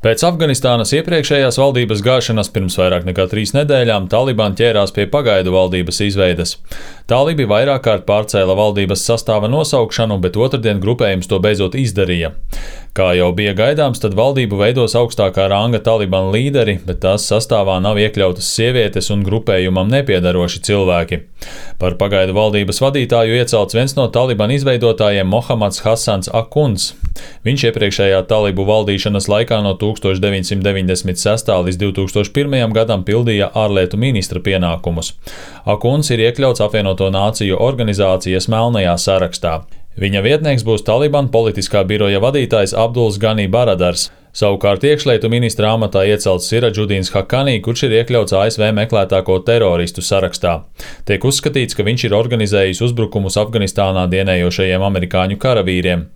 Pēc Afganistānas iepriekšējās valdības gāšanas pirms vairāk nekā 3 nedēļām Taliban ķērās pie pagaidu valdības izveides. Talibi vairāk kārt pārcēla valdības sastāva nosaukšanu, bet otrdien grupējums to beidzot izdarīja. Kā jau bija gaidāms, tad valdību veidos augstākā ranga Taliban līderi, bet tās sastāvā nav iekļautas sievietes un grupējumam nepiedaroši cilvēki. Par pagaidu valdības vadītāju iecelts viens no Taliban izveidotājiem Mohammads Hasans Akuns. Viņš iepriekšējā talibu valdīšanas laikā no 1996. līdz 2001. gadam pildīja ārlietu ministra pienākumus. Akuns ir iekļauts Apvienoto Nāciju organizācijas melnajā sarakstā. Viņa vietnieks būs Taliban politiskā biroja vadītājs Abduls Gani Baradars. Savukārt iekšlietu ministra amatā iecelts Siradžudīns Hakani, kurš ir iekļauts ASV meklētāko teroristu sarakstā. Tiek uzskatīts, ka viņš ir organizējis uzbrukumus Afganistānā dienējošajiem amerikāņu karavīriem.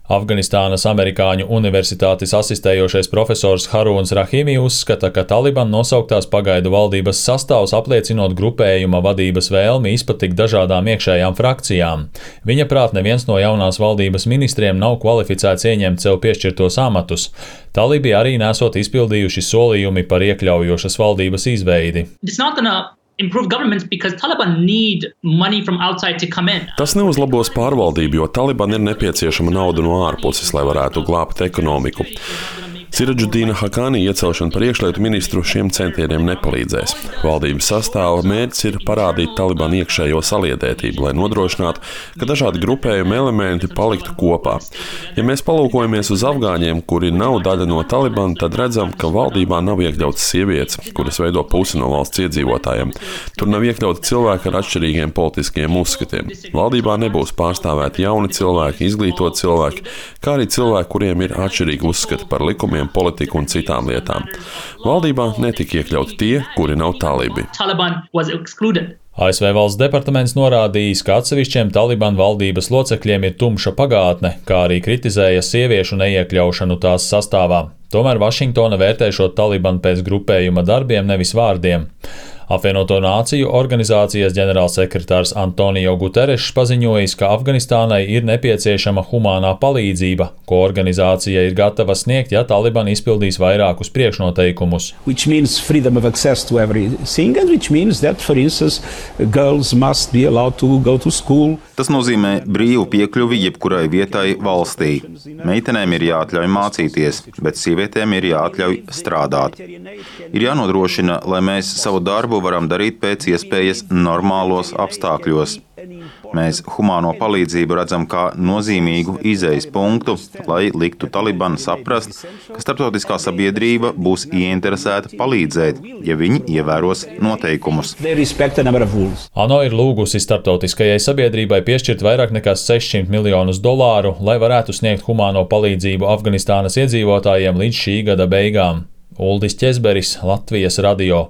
Afganistānas Amerikāņu universitātes asistējošais profesors Haruns Rahimi uzskata, ka Taliban nosauktās pagaidu valdības sastāvs apliecinot grupējuma vadības vēlmi izpatikt dažādām iekšējām frakcijām. Viņa prāt neviens no jaunās valdības ministriem nav kvalificēts ieņemt sev piešķirtos amatus. Talibi arī nesot izpildījuši solījumi par iekļaujošas valdības izveidi. Tas neuzlabos pārvaldību, jo Taliban ir nepieciešama nauda no ārpuses, lai varētu glābt ekonomiku. Siradžudīna Hakani iecelšana par iekšlietu ministru šiem centieniem nepalīdzēs. Valdības sastāva mērķis ir parādīt Taliban iekšējo saliedētību, lai nodrošinātu, ka dažādi grupējumi elementi paliktu kopā. Ja mēs palūkojamies uz afgāņiem, kuri nav daļa no Taliban, tad redzam, ka valdībā nav iekļautas sievietes, kuras veido pusi no valsts iedzīvotājiem. Tur nav iekļauti cilvēki ar atšķirīgiem politiskiem uzskatiem. Valdībā nebūs pārstāvēti jauni cilvēki, izglītoti cilvēki, kā arī cilvēki, kuriem ir atšķirīgi uzskati par likumiem, politiku un citām lietām. Valdībā netika iekļauti tie, kuri nav talibi. ASV valsts departaments norādījis, ka atsevišķiem Taliban valdības locekļiem ir tumša pagātne, kā arī kritizēja sieviešu neiekļaušanu tās sastāvā. Tomēr Vašingtona vērtē šo Taliban pēc grupējuma darbiem, nevis vārdiem. Apvienoto Nāciju organizācijas ģenerālsekretārs Antonio Guterešs paziņojis, ka Afganistānai ir nepieciešama humānā palīdzība, ko organizācija ir gatava sniegt, ja Taliban izpildīs vairākus priekšnoteikumus. Tas nozīmē brīvu piekļuvi jebkurai vietai valstī. Meitenēm ir jāatļauj mācīties, bet sievietēm ir jāatļauj strādāt. Ir jānodrošina, lai mēs savu darbu varam darīt pēc iespējas normālos apstākļos. Mēs humāno palīdzību redzam kā nozīmīgu izejas punktu, lai liktu Taliban saprast, ka starptautiskā sabiedrība būs ieinteresēta palīdzēt, ja viņi ievēros noteikumus. ANO ir lūgusi starptautiskajai sabiedrībai piešķirt vairāk nekā $600 miljonus, lai varētu sniegt humāno palīdzību Afganistānas iedzīvotājiem līdz šī gada beigām. Uldis Ķezberis, Latvijas radio.